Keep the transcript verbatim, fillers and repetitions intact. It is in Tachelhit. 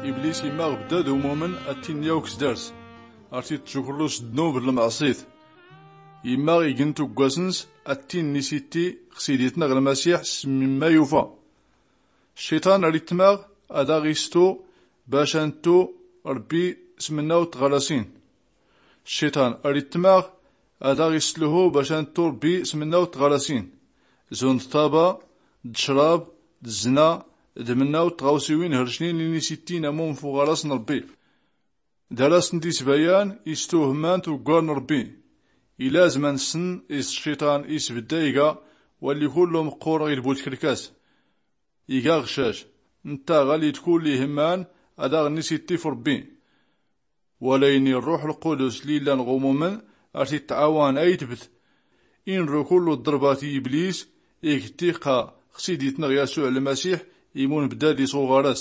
Iblis imma ɣ-bdad umumen ad-t-in-yaw ksdars, ar-t-id-tjukrus ddnub d-lmɛṣit. Imma igntu gwas-ns ad-t-in-nisitti ɣ-siditnɣ lmasiḥ s-mimma yufa. Cciṭan ar-itmaɣ ad-aɣ-istu bac a-ntu rbbi s-mnnaw tɣarasin. Cciṭan ar-itmaɣ ad-aɣ-islhu bac a-ntu rbbi s-mnnaw tɣarasin, zund ṭṭaba d-ccrab d-zzna d-mnnaw tɣawsiwin hrcnin inisittin amum f-uɣaras n-rbbi. Dar-asn-d-isbayan istu hmman tuggar n-rbbi. Ilazm a-nsn is-cciṭan isbdda iga walli kullu mqqur ɣ-idbu tkrkas. Iga ɣcac ntta ɣalli d-kulli hmman ad-aɣ-nisitti f-rbbi. Walayn i-rruḥ lqudus lli illan ɣ-umumen ar-t-itɛawan aytbt inru kullu ḍrbat i-iblis igttiqa ɣ-siditnɣ yasuɛ lmasiḥ imun bdad-is ɣ-uɣaras.